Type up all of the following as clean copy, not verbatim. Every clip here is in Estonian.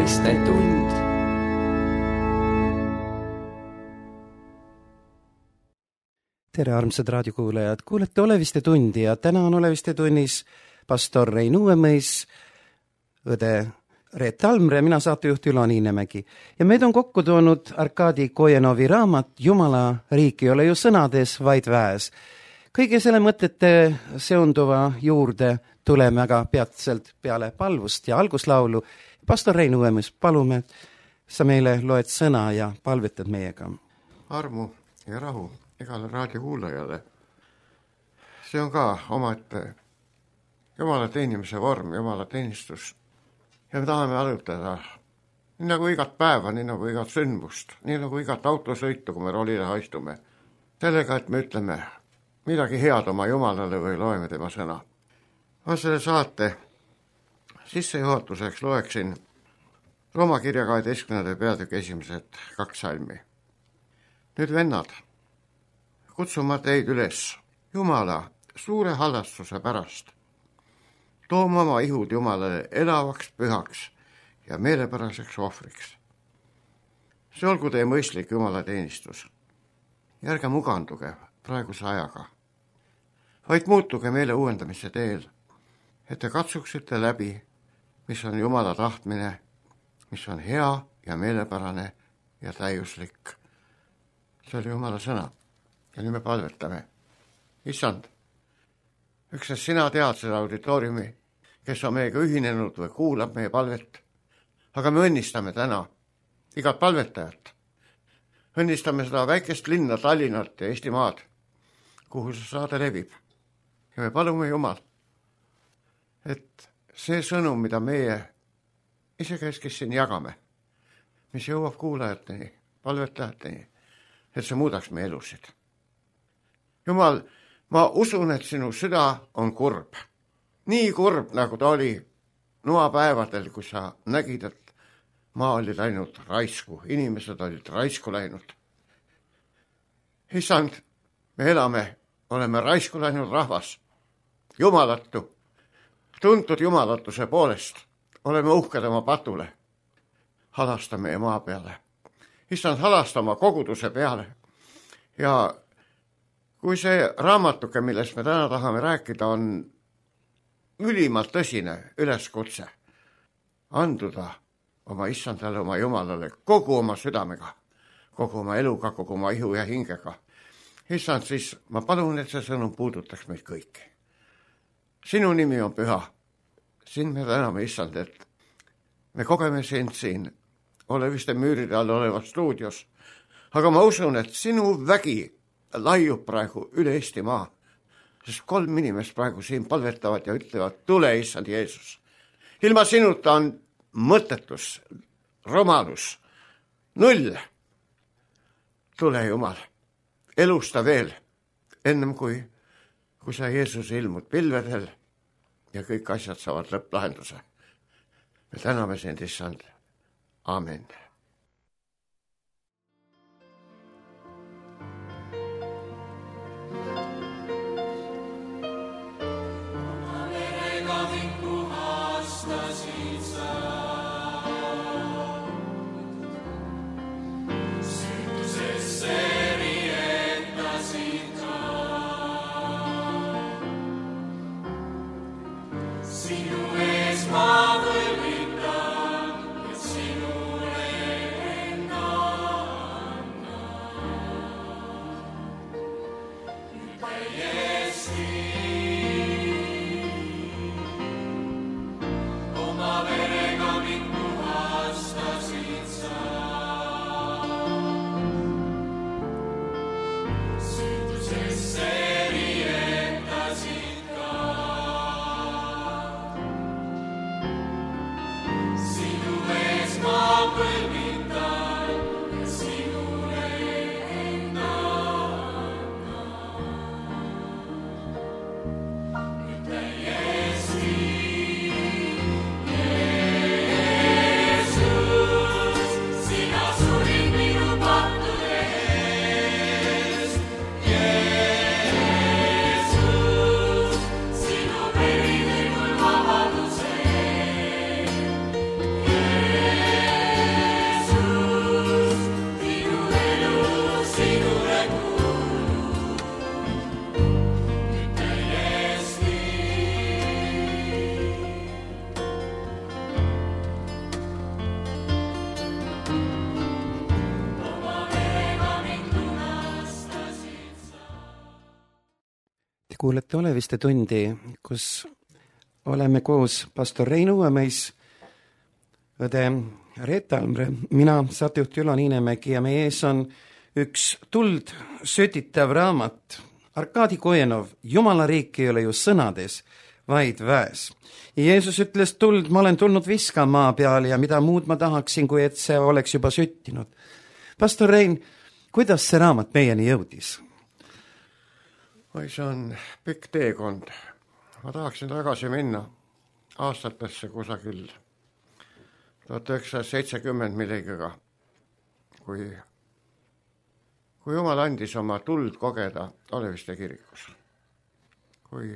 Oleviste-tund. Tere, armsad raadiokuulajad, kuulete Oleviste-tundi ja täna on Oleviste-tunnis pastor Rein Uuemõis, õde Reet Almre ja mina saatejuht Ülo Niinemägi. Ja meid on kokku toonud Arkadi Kojenovi raamat Jumala riik ei ole ju sõnades, vaid väes. Kõige selle mõtete seonduva juurde tuleme aga peatselt peale palvust ja alguslaulu. Pastor Rein Uuemõis, palume, sa meile loed sõna ja palvetad meiega. Armu ja rahu igale raadiokuulajale. See on ka omaette Jumala teenimise vorm, Jumala teenistus. Ja me tahame arutada nii nagu igat päeva, nii nagu igat sündmust, nii nagu igat autosõitu, kui me rolile haistume. Sellega, et me ütleme midagi head oma Jumalale või loeme tema sõna. Ma selle saate sissejuhatuseks loeksin Rooma kirja 12. peatüki esimesed 2 salmi. Nüüd vennad, kutsuma teid üles Jumala suure hallastuse pärast. Tooma oma ihud Jumalale elavaks, pühaks ja meelepäraseks ohvriks. See olgu teie mõistlik Jumala teenistus. Ja ärge muganduge praeguse ajaga, vaid muutuge meele uuendamise teel, et te katsuksite läbi, mis on Jumala tahtmine, mis on hea ja meelepärane ja täiuslik. See oli Jumala sõna. Ja nüüd me palvetame. Issand, üksnes sina tead seda auditooriumi, kes on meiega ühinenud või kuulab meie palvet. Aga me õnnistame täna igat palvetajat. Õnnistame seda väikest linna Tallinnat ja Eestimaad, kuhu see saade levib. Ja me palume Jumal, et see sõnum, mida meie isekeskis siin jagame, mis jõuab kuulajateni, palvetajateni, et see muudaks meie elusid. Jumal, ma usun, et sinu süda on kurb. Nii kurb, nagu ta oli noapäevadel, kui sa nägid, et maa oli läinud raisku, inimesed olid raisku läinud. Issand, me elame, oleme raisku läinud rahvas, jumalatu, tuntud jumalatuse poolest, oleme uhked oma patule, halasta meie maa peale. Issand, halasta oma koguduse peale. Ja kui see raamatuke, millest me täna tahame rääkida, on ülimalt tõsine üleskutse anduda oma Issandale, oma Jumalale kogu oma südamega, kogu oma eluga, kogu oma ihu ja hingega. Issand, siis ma palun, et see sõnum puudutaks meid kõiki. Sinu nimi on püha. Sind me täname, Issand, et me kogeme sind siin Oleviste müüride all olevas stuudios. Aga ma usun, et sinu vägi laiub praegu üle Eestimaa, sest 3 inimest praegu siin palvetavad ja ütlevad, tule, Issand Jeesus. Ilma sinuta on mõttetus, romalus, 0. Tule, Jumal, elusta veel, ennem kui sa Jeesus ilmud pilvedel ja kõik asjad saavad lõpplahenduse. Me täname sind, Issand. Amen. kuulete Oleviste tundi, kus oleme koos pastor Rein Uuemeis, õde Reet Almre, mina, saatejuht Ülo Niinemägi ja meie ees on üks tuld sötitav raamat. Arkadi Kojenov, Jumala riik ei ole ju sõnades, vaid väes. Jeesus ütles, tuld, ma olen tulnud viskama maa peale ja mida muud ma tahaksin, kui et see oleks juba süttinud. Pastor Rein, kuidas see raamat meieni jõudis? Oi, see on pikk teekond. Ma tahaksin tagasi minna aastatesse kusagil 1970 millegagi, kui Jumal andis oma tuld kogeda Oleviste kirikus. Kui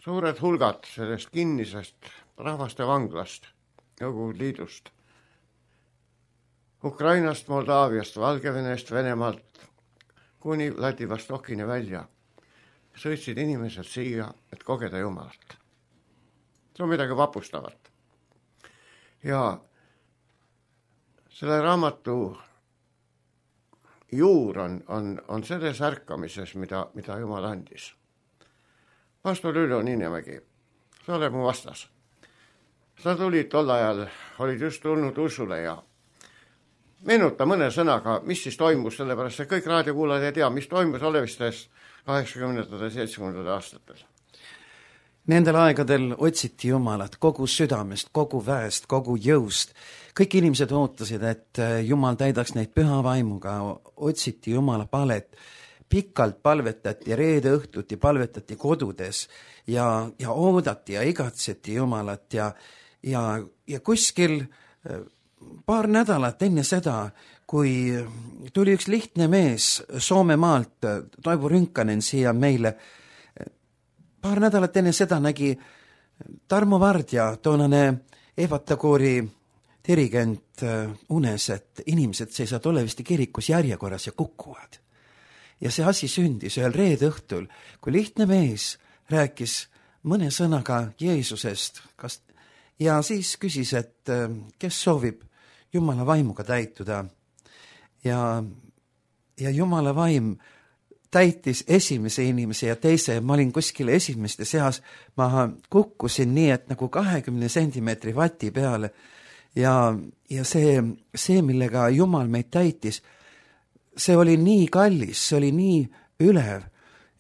suured hulgad sellest kinnisest rahvaste vanglast, Nõukogude Liidust, Ukrainast, Moldaaviast, Valgevenest, Venemaalt kuni Vladivostokini välja sõitsid inimesed siia, et kogeda Jumalat. See on midagi vapustavat. Ja selle raamatu juur on selles ärkamises, mida Jumal andis. Pastor Ülo Niinemägi, sa oled mu vastas. Sa tulid tol ajal, olid just tulnud usule ja meenuta mõne sõnaga, mis siis toimus, sellepärast et kõik raadiokuulajad ei tea, mis toimus Olevistes 80. ja 70. aastatel. Nendel aegadel otsiti Jumalat kogu südamest, kogu väest, kogu jõust. Kõik inimesed ootasid, et Jumal täidaks neid püha vaimuga, otsiti Jumala palet. Pikalt palvetati, reede õhtuti palvetati kodudes ja oodati ja igatseti Jumalat ja kuskil paar nädalat enne seda, kui tuli üks lihtne mees Soome maalt, Toivo Rünkanen siia meile, paar nädalat enne seda nägi Tarmo Vardja, toonane Evatakoori dirigent unes, et inimesed seisavad Oleviste kirikus järjekorras ja kukuvad. Ja see asi sündis ühel reede õhtul, kui lihtne mees rääkis mõne sõnaga Jeesusest ja siis küsis, et kes soovib Jumala vaimuga täituda. Ja Jumala vaim täitis esimese inimese ja teise. Ma olin kuskil esimeste seas, ma kukkusin nii, et nagu 20 sentimeetri vati peale ja see, millega Jumal meid täitis, see oli nii kallis, see oli nii ülev,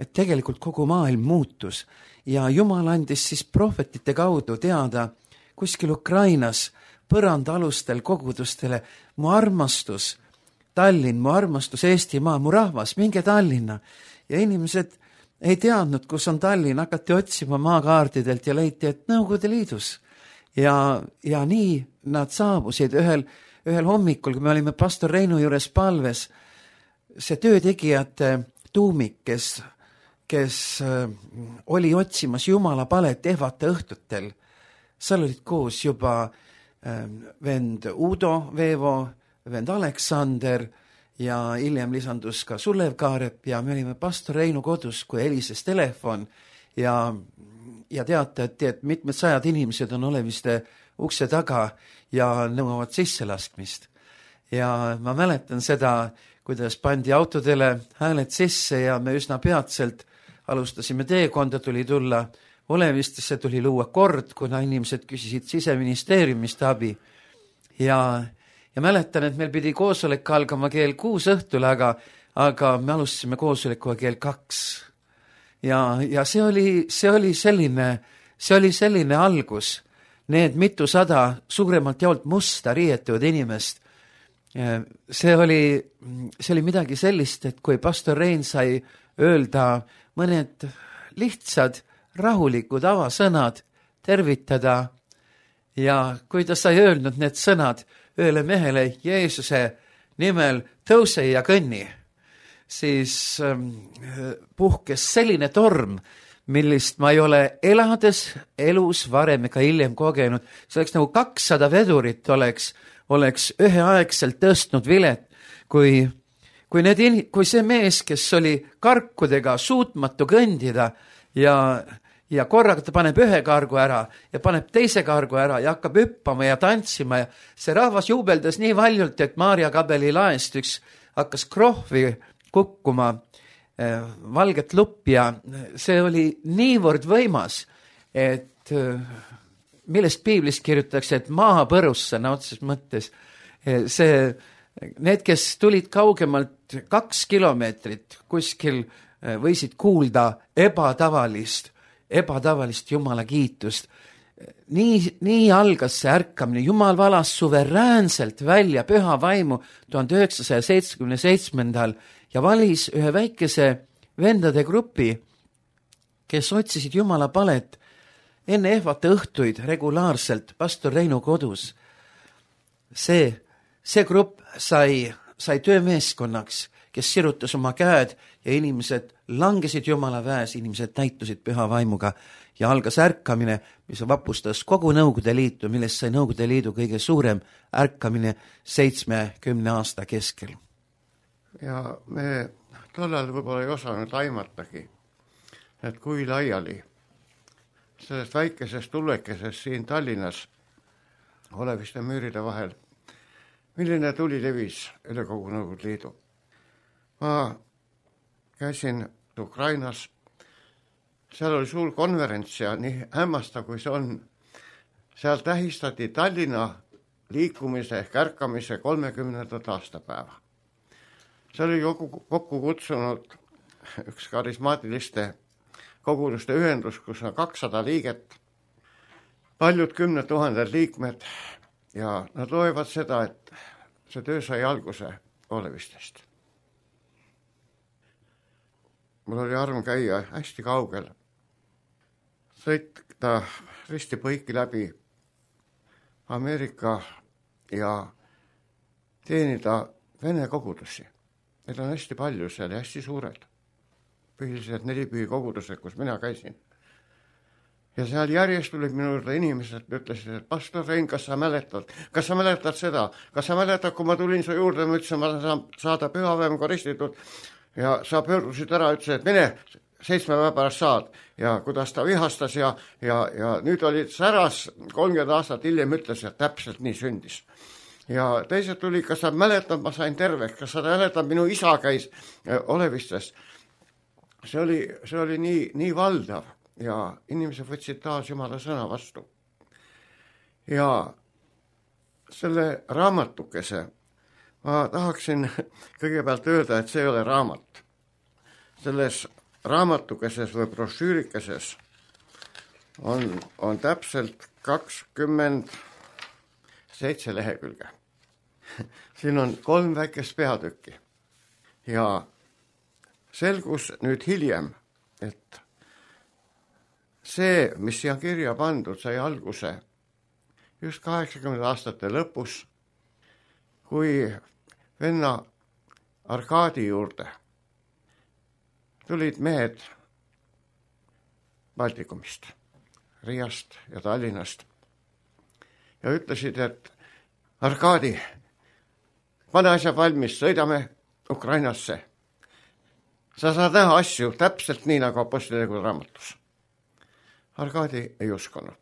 et tegelikult kogu maailm muutus ja Jumal andis siis prohvetite kaudu teada kuskil Ukrainas põrandaalustel kogudustele, mu armastus Tallinn, mu armastus Eestimaa, mu rahvas, minge Tallinna. Ja inimesed ei teadnud, kus on Tallinn, hakati otsima maakaardidelt ja leiti, et Nõukogude Liidus. Ja nii nad saabusid ühel hommikul, kui me olime pastor Reinu juures palves, see töötegijate tuumik, kes oli otsimas Jumala palet Evata õhtutel, seal olid koos juba vend Udo Veevo, vend Aleksander ja hiljem lisandus ka Sulev Kaarep ja me olime pastor Reinu kodus, kui helises telefon ja teatati, et mitmed sajad inimesed on Oleviste ukse taga ja nõuavad sisselaskmist. Ja ma mäletan seda, kuidas pandi autodele hääled sisse ja me üsna peatselt alustasime teekonda, tuli tulla Olevistesse, tuli luua kord, kuna inimesed küsisid Siseministeeriumist abi. Ja mäletan, et meil pidi koosolek algama kell 6 õhtul, aga me alustasime koosolekuga kell 2. Ja see oli selline algus. Need mitusada suuremalt jaolt musta riietuvad inimest. See oli midagi sellist, et kui pastor Rein sai öelda mõned lihtsad, rahulikud avasõnad, tervitada ja kui ta sai öelnud need sõnad ühele mehele Jeesuse nimel tõuse ja kõnni, siis puhkes selline torm, millist ma ei ole elades elus varem ega hiljem kogenud. See oleks nagu 200 vedurit oleks üheaegselt tõstnud vilet, kui see mees, kes oli karkudega suutmatu kõndida ja korraga ta paneb ühe kargu ära ja paneb teise kargu ära ja hakkab hüppama ja tantsima ja see rahvas juubeldas nii valjult, et Maarja Kabeli laest üks hakkas krohvi kukkuma valget lupp ja see oli niivõrd võimas, et millest piiblis kirjutatakse, et maa põrus sõna otseses mõttes. Need, kes tulid kaugemalt 2 kilomeetrit kuskil, võisid kuulda ebatavalist Jumala kiitust. Nii algas see ärkamine. Jumal valas suveräänselt välja püha vaimu 1977. ja valis ühe väikese vendade grupi, kes otsisid Jumala palet enne ehvate õhtuid regulaarselt pastor Reinu kodus. See grupp sai töömeeskonnaks, kes sirutas oma käed ja inimesed langesid Jumala väes, inimesed täitusid püha vaimuga ja algas ärkamine, mis vapustas kogu Nõukogude Liitu, millest sai Nõukogude Liidu kõige suurem ärkamine 70 aasta keskel. Ja me tollal võib-olla ei osanud aimatagi, et kui laiali sellest väikesest tulekesest siin Tallinnas oleviste müüride vahel, milline tuli levis üle kogu Nõukogude Liidu. Ma käisin Ukrainas, seal oli suur konverents ja nii hämmastav, kui see on. Seal tähistati Tallinna liikumise ehk ärkamise 30. aastapäeva. See oli kokku kutsunud üks karismaatiliste koguduste ühendus, kus on 200 liiget, paljud 10 000 liikmed ja nad loevad seda, et see töö sai alguse Olevistest. Mul oli arm käia hästi kaugel, sõita risti põiki läbi Ameerika ja teenida Vene kogudusi. Need on hästi palju seal ja hästi suured. Põhiliselt 4 kogudused, kus mina käisin. Ja seal järjest tulid minu juurde inimesed, ütlesid, et pastor Rein, kas sa mäletad seda? Kas sa mäletad, kui ma tulin su juurde, ma ütlesin, ma saan saada pühapäevaga ristitud ja sa pöördusid ära, ütlesid, et mine 7 päeva pärast saad. Ja kuidas ta vihastas ja nüüd oli säras 30 aastat hiljem ütles, et täpselt nii sündis. Ja teised tuli, kas sa mäletad, ma sain terveks, kas sa mäletad, minu isa käis Olevistes. See oli nii valdav ja inimesed võtsid taas Jumala sõna vastu. Ja selle raamatukese ma tahaksin kõigepealt öelda, et see ei ole raamat. Selles raamatukeses või brošüürikeses on täpselt 27 lehekülge. Siin on 3 väikest peatükki ja selgus nüüd hiljem, et see, mis siia kirja pandud, sai alguse just 80 aastate lõpus, kui venna Arkadi juurde tulid mehed Baltikumist, Riiast ja Tallinnast ja ütlesid, et Arkadi, pane asjad valmis, sõidame Ukrainasse. Sa saad näha asju täpselt nii, nagu Apostlitegu raamatus. Arkadi ei uskunud.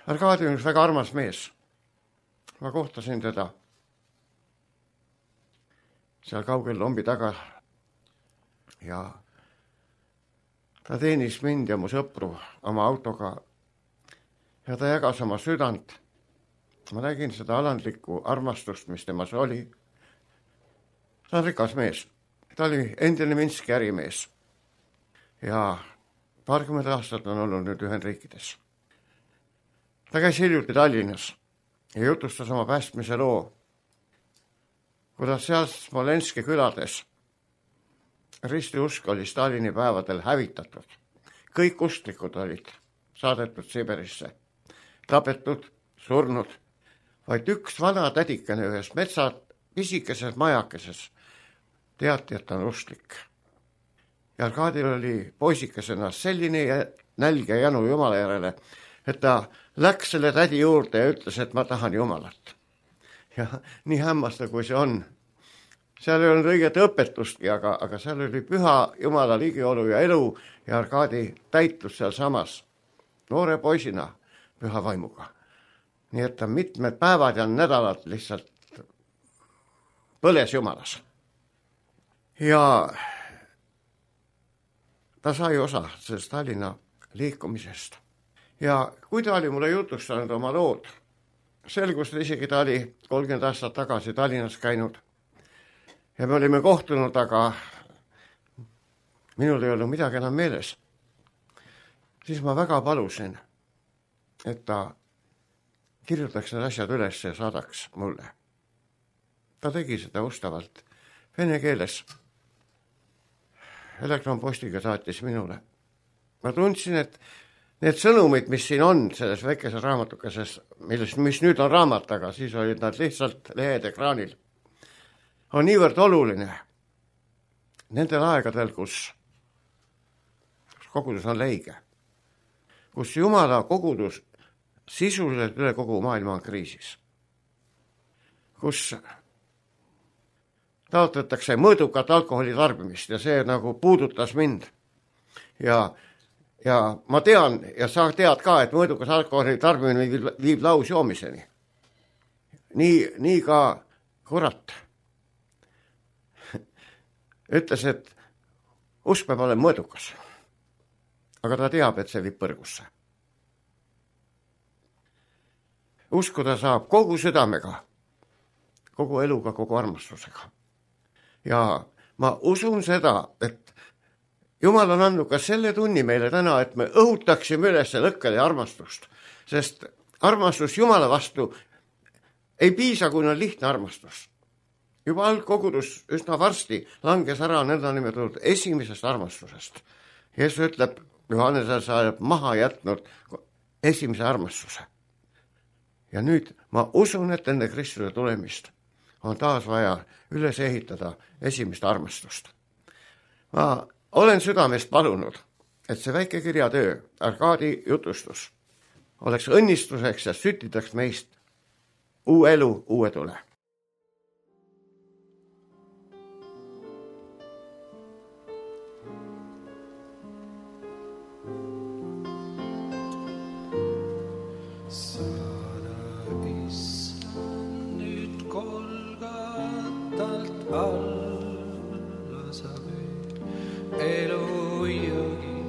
Arkadi on üks väga armas mees. Ma kohtasin teda seal kaugel lombi taga ja ta teenis mind ja mu sõpru oma autoga ja ta jagas oma südant. Ma nägin seda alandlikku armastust, mis temas oli. Ta on rikas mees. Ta oli endine Minski ärimees ja 20 aastat on olnud nüüd Ühendriikides. Ta käis hiljuti Tallinnas ja jutustas oma päästmise loo, kuidas seal Smolenski külades ristiusk oli Stalini päevadel hävitatud. Kõik usklikud olid saadetud Siberisse, tapetud, surnud, vaid üks vana tädikene ühes metsa pisikeses majakeses teati, et on usklik. Ja Arkadil oli poisikesena selline nälg ja janu Jumala järele, et ta läks selle tädi juurde ja ütles, et ma tahan Jumalat. Ja nii hämmastav, kui see on. Seal ei olnud õiget õpetustki, aga seal oli püha Jumala ligiolu ja elu ja Arkadi täitus seal samas noore poisina püha vaimuga. Nii et ta mitmed päevad ja nädalad lihtsalt põles Jumalas. ja ta sai osa sellest Tallinna liikumisest. Ja kui ta oli mulle jutustanud oma lood, selgus, et isegi ta oli 30 aastat tagasi Tallinnas käinud ja me olime kohtunud, aga minul ei olnud midagi enam meeles. Siis ma väga palusin, et ta kirjutaks need asjad üles ja saadaks mulle. Ta tegi seda ustavalt vene keeles. Elektronpostiga saatis minule. Ma tundsin, et need sõnumid, mis siin on selles väikeses raamatukeses, mis nüüd on raamat, aga siis olid nad lihtsalt lehed ekraanil, on niivõrd oluline nendel aegadel, kus kogudus on leige, kus Jumala kogudus sisuliselt üle kogu maailma on kriisis, kus taotletakse mõõdukat alkoholi tarbimist ja see nagu puudutas mind. Ja ma tean ja sa tead ka, et mõõdukas alkoholi tarbimine viib lausjoomiseni. Nii ka kurat ütles, et usk peab olema mõõdukas, aga ta teab, et see viib põrgusse. Uskuda saab kogu südamega, kogu eluga, kogu armastusega. Ja ma usun seda, et Jumal on andnud ka selle tunni meile täna, et me õhutaksime üles lõkkele armastust, sest armastus Jumala vastu ei piisa, kui on lihtne armastus. Juba algkogudus üsna varsti langes ära nõndanimetatud esimesest armastusest. Jeesus ütleb, Johannese saab maha jätnud esimese armastuse. Ja nüüd ma usun, et enne Kristuse tulemist on taas vaja üles ehitada esimest armastust. Ma olen südamest palunud, et see väike kirjatöö, Arkadi jutustus, oleks õnnistuseks ja sütitaks meist uue elu, uue tule. Saada issand nüüd Golgatalt alla sa veel elujõgi,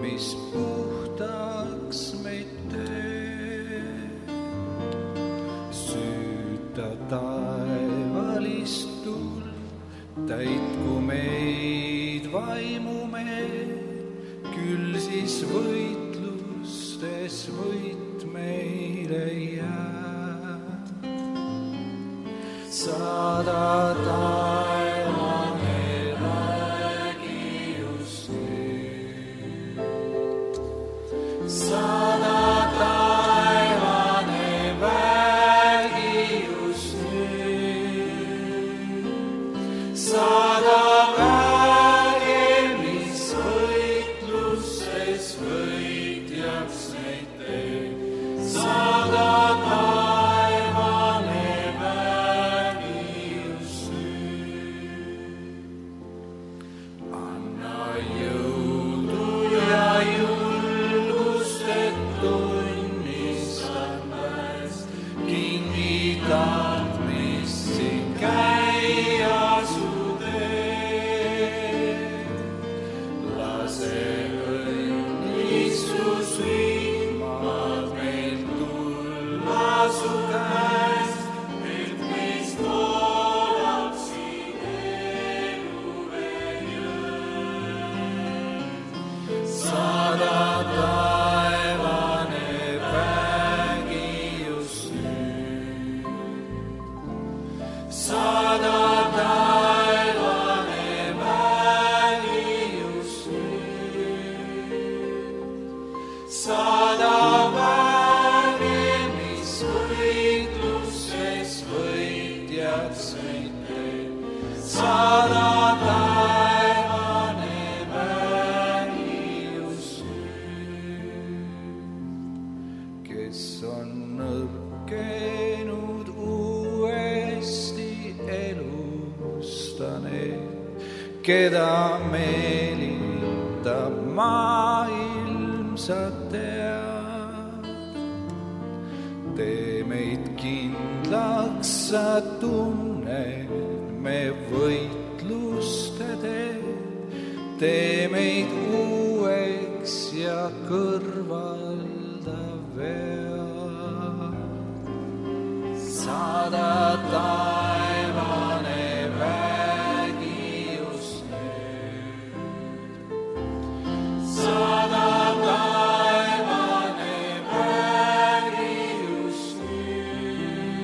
mis puhtaks meid teeb. Süüta taevalist tuld, täitku meid vaimumeed, küll siis võitlustes võit meile jääb. Saada taevane vägi just nüüd. Saada taevane vägi just nüüd. Saada vägi, mis võitlustes võitjaks meid teeb. Saada taevane vägi just nüüd. Anna jõudu ja julgust, et tunnistan väest kinnitab, mis siin käia su teed. Lase õnnistus vihmad meil tulla su käest, et meist voolab siin elu veel jõed. Saada taevane vägi just nüüd. Saada taevane vägi just nüüd. Saada vägi, mis võitluses võitjaks meid teeb. Saada taevane vägi just nüüd. Kes on nõrkenud uuesti elustanud, keda meelitab maailm, sa tead. Tee meid kindlaks, sa tunned me võitlust tee meid uueks ja kõrvalda vea. Saada taevane vägi just nüüd. Saada taevane vägi just nüüd.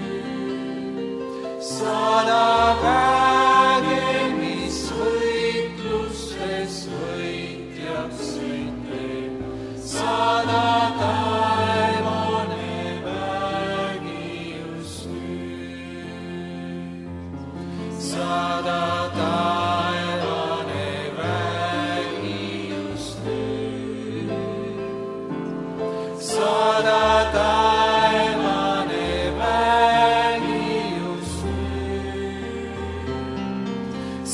Saada väge, mis võitlustes võitjaks meid teeb. Saada taevane vägi just nüüd. Saada taevane vägi just nüüd. Saada taevane vägi just nüüd.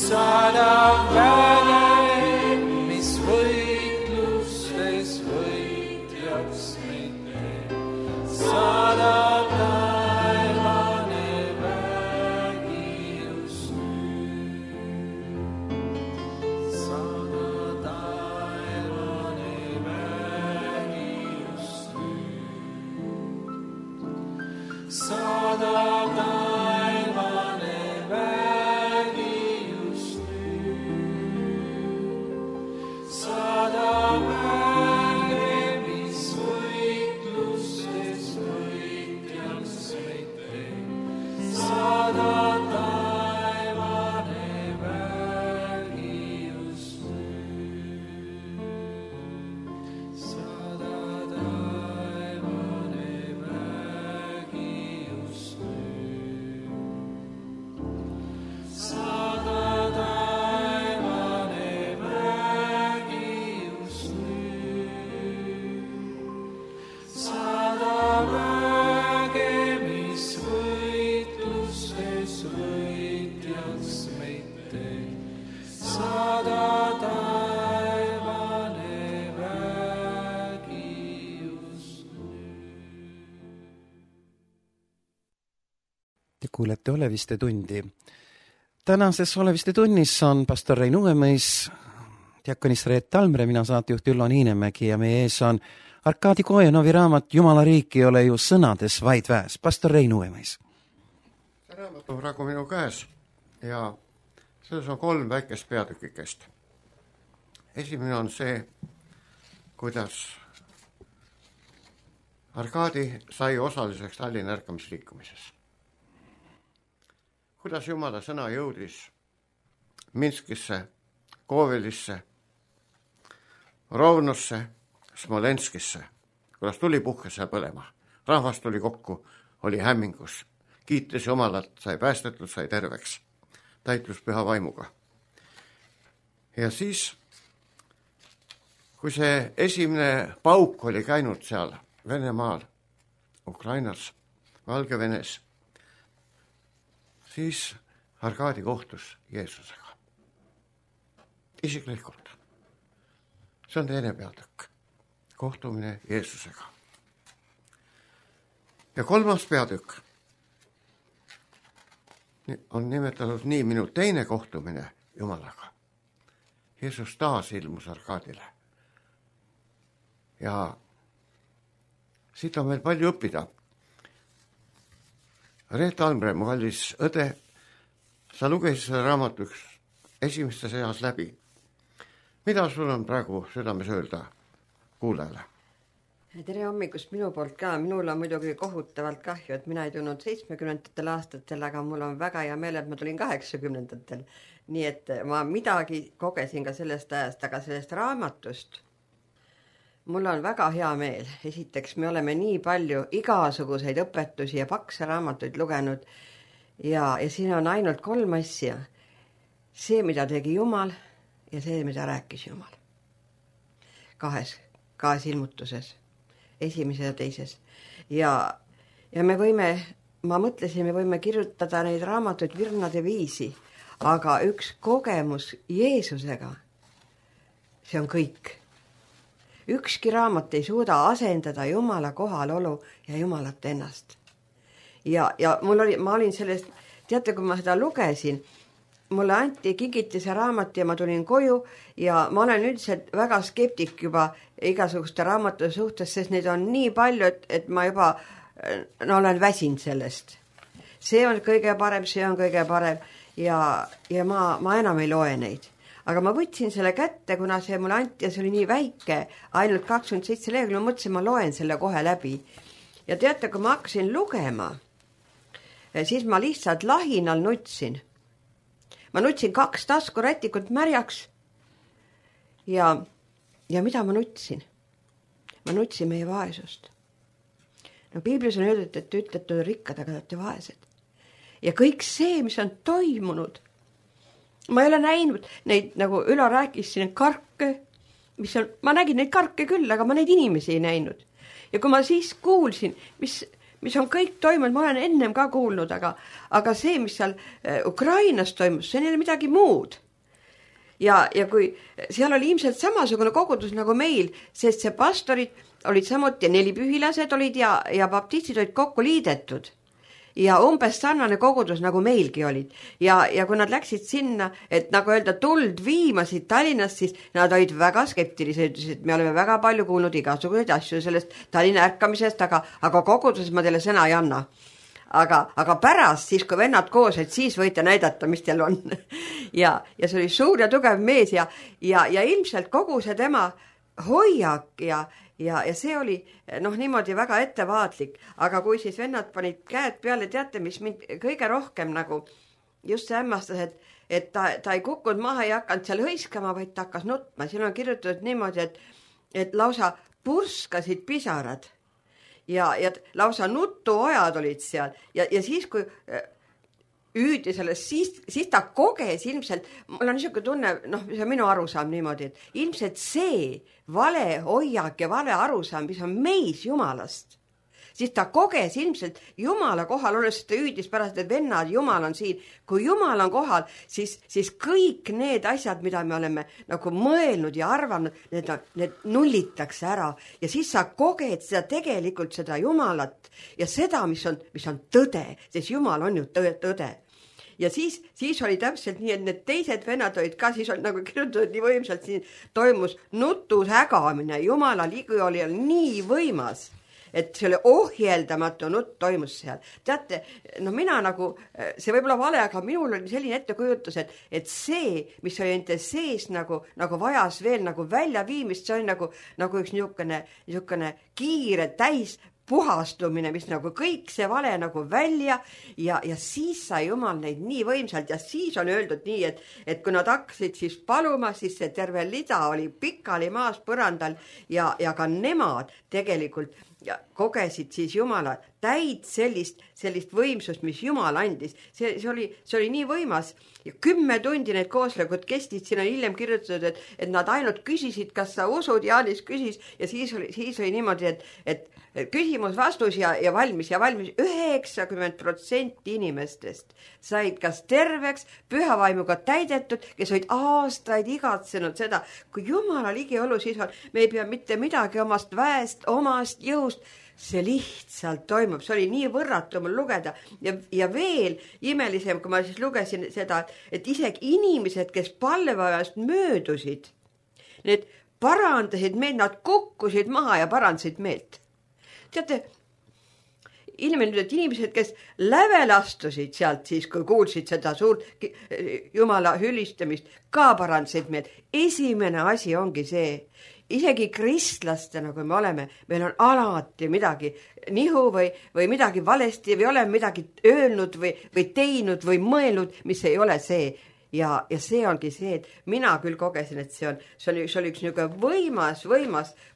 Saada väge, mis võitlustes võitjaks meid teeb. Saada taevane vägi just nüüd. Saada taevane vägi just nüüd. Saada taevane vägi just nüüd. Saada väge, mis võitlustes võitjaks meid teeb. Saada taevane vägi just nüüd. Saada taevane vägi just nüüd. Saada taevane vägi just nüüd. Saada väge, mis võitlustes võitjaks meid teeb. Saada taevane vägi just nüüd. Te kuulete Oleviste tundi. Tänases Oleviste tunnis on pastor Rein Uuemõis, diakonist Reet Talmre, mina saatejuht Üllo Niinemägi ja meie ees on Arkadi Kojanovi raamat Jumala riik ei ole ju sõnades, vaid väes. Pastor Rein Uuemõis. See raamat on praegu minu käes ja selles on 3 väikest peatükikest. Esimene on see, kuidas Arkadi sai osaliseks Tallinna ärkamisliikumises. Kuidas Jumala sõna jõudis Minskisse, Kovelisse, Rovnosse, Smolenskisse, kuidas tuli puhkes seal põlema. Rahvas tuli kokku, oli hämmingus, kiitis Jumalat, sai päästetud, sai terveks, täitus püha vaimuga. Ja siis, kui see esimene pauk oli käinud seal Venemaal, Ukrainas, Valgevenes, siis Arkadi kohtus Jeesusega. Isiklikult. See on teine peatükk. Kohtumine Jeesusega. Ja 3. peatükk on nimetatud nii minu teine kohtumine Jumalaga. Jeesus taas ilmus Arkadile. Ja siit on meil palju õppida. Reet Talmre, mu kallis õde, sa lugesid selle raamatu esimeste seas läbi. Mida sul on praegu südames öelda kuulajale? Tere hommikust minu poolt ka. Minul on muidugi kohutavalt kahju, et mina ei tulnud 70. aastatel, aga mul on väga hea meel, et ma tulin 80. Nii et ma midagi kogesin ka sellest ajast, aga sellest raamatust mul on väga hea meel. Esiteks, me oleme nii palju igasuguseid õpetusi ja pakse raamatuid lugenud ja siin on ainult 3 asja. See, mida tegi Jumal ja see, mida rääkis Jumal. 2 ilmutuses. Esimeses ja teises. Ja me võime, ma mõtlesin, me võime kirjutada neid raamatuid virnade viisi, aga üks kogemus Jeesusega, see on kõik. Ükski raamat ei suuda asendada Jumala kohalolu ja Jumalat ennast. Ja ma olin sellest, teate, kui ma seda lugesin, mulle anti kingitise raamat ja ma tulin koju ja ma olen üldiselt väga skeptik juba igasuguste raamatute suhtes, sest neid on nii palju, et ma juba olen väsinud sellest. See on kõige parem, see on kõige parem ja ma enam ei loe neid. Aga ma võtsin selle kätte, kuna see mulle anti ja see oli nii väike, ainult 27 lehekülge, ma mõtlesin, ma loen selle kohe läbi. Ja teate, kui ma hakkasin lugema, siis ma lihtsalt lahinal nutsin. Ma nutsin 2 taskurätikut märjaks ja mida ma nutsin? Ma nutsin meie vaesust. No piiblis on öeldud, et te ütlete rikkad, aga te olete vaesed. Ja kõik see, mis on toimunud, ma ei ole näinud neid, nagu Ülo rääkis siin, karke, ma nägin neid karke küll, aga ma neid inimesi ei näinud. Ja kui ma siis kuulsin, mis on kõik toimunud, ma olen ennem ka kuulnud, aga see, mis seal Ukrainas toimus, see on jälle midagi muud. Ja kui seal oli ilmselt samasugune kogudus nagu meil, sest see pastorid olid samuti, 4 pühilased olid ja baptistid olid kokku liidetud. Ja umbes sarnane kogudus nagu meilgi olid. Ja kui nad läksid sinna, et nagu öelda tuld viimasid Tallinnast, siis nad olid väga skeptilised, et me oleme väga palju kuulnud igasuguseid asju sellest Tallinna ärkamisest, aga koguduses ma teile sõna ei anna. Aga pärast, siis kui vennad koos, et siis võite näidata, mis teil on. ja see oli suur ja tugev mees ja ilmselt kogu see tema hoiak ja see oli niimoodi väga ettevaatlik, aga kui siis vennad panid käed peale, teate, mis mind kõige rohkem nagu just see hämmastas, et ta ei kukkunud maha ja hakanud seal hõiskama, vaid ta hakkas nutma. Siin on kirjutatud niimoodi, et lausa purskasid pisarad ja lausa nutuojad olid seal ja siis kui üüdi sellest, siis ta koges ilmselt, mul on niisugune tunne, see on minu arusaam niimoodi, et ilmselt see vale hoiak ja vale arusaam, mis on meis Jumalast, siis ta koges ilmselt Jumala kohal olles, ta üüdis pärast, et vennad, Jumal on siin. Kui Jumal on kohal, siis kõik need asjad, mida me oleme nagu mõelnud ja arvanud, need nullitakse ära ja siis sa koged seda tegelikult seda Jumalat ja seda, mis on tõde, sest Jumal on ju tõde. Ja siis oli täpselt nii, et need teised vennad olid ka, siis oli nagu kirjutatud nii võimsalt, siin toimus nutus hägamine, Jumala ligi oli nii võimas, et see oli ohjeldamatu nutt toimus seal. Teate, mina nagu, see võib olla vale, aga minul oli selline ettekujutus, et see, mis oli ente sees nagu vajas veel nagu välja viimist, see oli nagu üks niisugune kiire täis puhastumine, mis nagu kõik see vale nagu välja ja siis sai Jumal neid nii võimsalt ja siis on öeldud nii, et kui nad hakkasid siis paluma, siis see terve lida oli pikali maas põrandal ja ka nemad tegelikult kogesid siis Jumala täid sellist võimsust, mis Jumal andis. See oli nii võimas ja 10 tundi need kooslekud kestid, siin on hiljem kirjutatud, et nad ainult küsisid, kas sa usud, Jaanis küsis ja siis oli niimoodi, et küsimus, vastus ja valmis 90% inimestest said kas terveks, pühavaimuga täidetud, kes olid aastaid igatsenud seda, kui Jumala ligiolu siis on, me ei pea mitte midagi omast väest, omast jõust, see lihtsalt toimub, see oli nii võrratu mul lugeda ja veel imelisem, kui ma siis lugesin seda, et isegi inimesed, kes palveajast möödusid, need parandasid meelt, nad kukkusid maha ja parandasid meelt. Teate, inimesed, kes lävel astusid sealt siis, kui kuulsid seda suurt Jumala hülistamist, ka parandasid meelt. Esimene asi ongi see, isegi kristlastena, kui me oleme, meil on alati midagi nihu või midagi valesti või oleme midagi öelnud või teinud või mõelnud, mis ei ole see. Ja see ongi see, et mina küll kogesin, et see oli üks niisugune võimas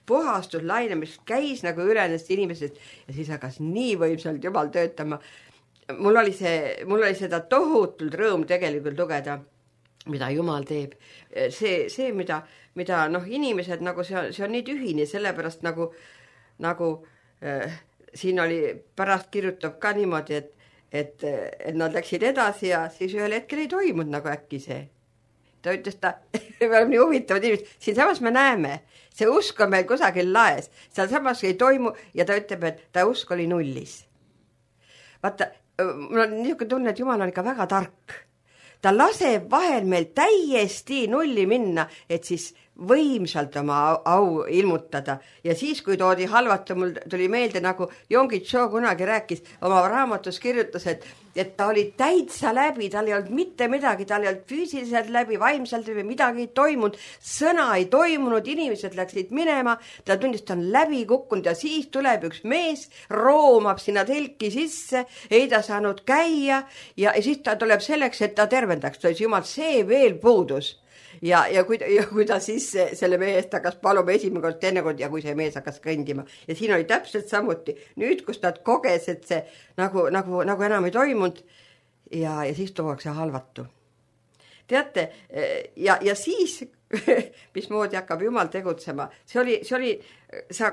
puhastuslaine, mis käis nagu üle nendest inimesest ja siis hakkas nii võimsalt Jumal töötama. Mul oli seda tohutult rõõm tegelikult lugeda, mida Jumal teeb. See mida inimesed, nagu see on nii tühine, sellepärast nagu siin oli pärast kirjutab ka niimoodi, et nad läksid edasi ja siis ühel hetkel ei toimunud nagu äkki see. Ta ütles, me oleme nii huvitavad inimesed, siin samas me näeme, see usk on meil kusagil laes, seal samas ei toimu ja ta ütleb, et ta usk oli nullis. Vaata, mul on niisugune tunne, et Jumal on ikka väga tark. ta laseb vahel meil täiesti nulli minna, et siis võimsalt oma au ilmutada. Ja siis, kui toodi halvata, mul tuli meelde, nagu Yonggi Cho kunagi rääkis, oma raamatus kirjutas, et ta oli täitsa läbi, tal ei olnud mitte midagi, tal ei olnud füüsiliselt läbi, vaimselt läbi, midagi ei toimunud, sõna ei toimunud, inimesed läksid minema, ta tundis, ta on läbi kukkunud ja siis tuleb üks mees, roomab sinna telki sisse, ei ta saanud käia ja siis ta tuleb selleks, et ta tervendaks, ta ütles, jumal, see veel puudus. Ja kui ta siis selle meest hakkas paluma esimene kord, teine kord ja kui see mees hakkas kõndima. Ja siin oli täpselt samuti. Nüüd, kus ta koges, et see nagu enam ei toimunud ja siis tuuakse halvatu. Teate, ja siis, mismoodi hakkab Jumal tegutsema, see oli,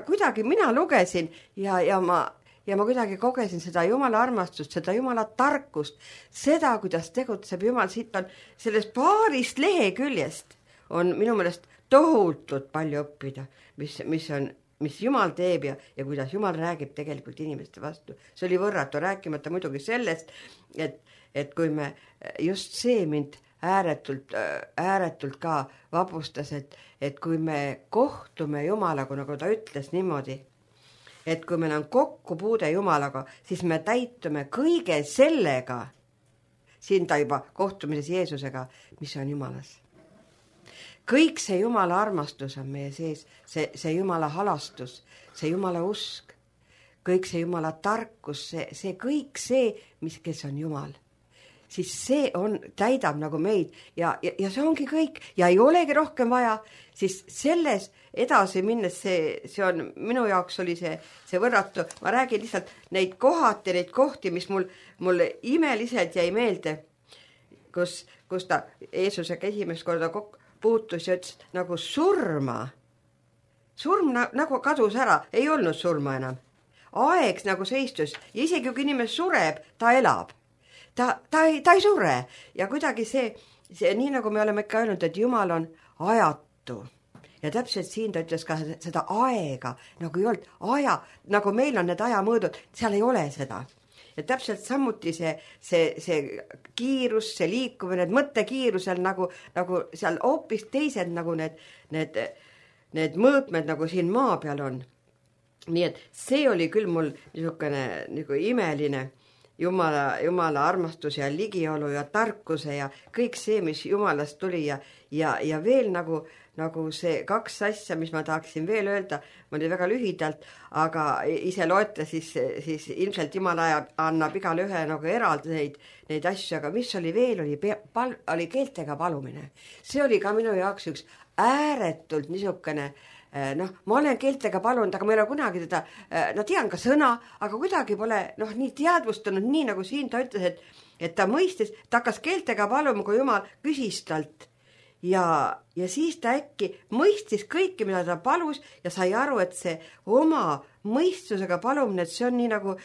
kuidagi mina lugesin ja ma kuidagi kogesin seda Jumala armastust, seda Jumala tarkust, seda, kuidas tegutseb Jumal, siit on sellest paarist leheküljest on minu meelest tohutult palju õppida, mis Jumal teeb ja kuidas Jumal räägib tegelikult inimeste vastu. See oli võrratu, rääkimata muidugi sellest, et kui me just see mind ääretult ka vapustas, et kui me kohtume Jumalaga, nagu ta ütles niimoodi, et kui meil on kokkupuude Jumalaga, siis me täitume kõige sellega, siin ta juba kohtumises Jeesusega, mis on Jumalas. Kõik see Jumala armastus on meie sees, see Jumala halastus, see Jumala usk, kõik see Jumala tarkus, see kõik see, kes on Jumal. Siis see täidab nagu meid ja see ongi kõik ja ei olegi rohkem vaja, siis selles edasi minnes see on, minu jaoks oli see võrratu, ma räägin lihtsalt neid kohti, mis mul imeliselt jäi meelde, kus ta Jeesusega esimest korda puutus ja ütles nagu surm nagu kadus ära, ei olnud surma enam. Aeg nagu seistus ja isegi kui inimene sureb, ta elab. Ta ei sure ja kuidagi see nii nagu me oleme ikka öelnud, et Jumal on ajatu ja täpselt siin ta ütles ka seda aega, nagu ei olnud nagu meil on need ajamõõdud, seal ei ole seda ja täpselt samuti see kiirus, see liikumine, need mõttekiirusel nagu seal hoopis teised nagu need mõõtmed nagu siin maa peal on. Nii et see oli küll mul niisugune nagu imeline Jumala armastus ja ligiolu ja tarkuse ja kõik see, mis Jumalast tuli ja veel nagu see kaks asja, mis ma tahaksin veel öelda, ma oli väga lühidalt, aga ise loete, siis ilmselt Jumal annab igale ühe nagu eraldi neid asju, aga mis oli veel, oli keeltega palumine. See oli ka minu jaoks üks ääretult niisugune ma olen keeltega palunud, aga ma ei ole kunagi teda, tean ka sõna, aga kuidagi pole nii teadvustanud, nii nagu siin ta ütles, et ta mõistis, ta hakkas keeltega paluma, kui Jumal küsis talt ja siis ta äkki mõistis kõike, mida ta palus ja sai aru, et see oma mõistusega palumine, et see on nii nagu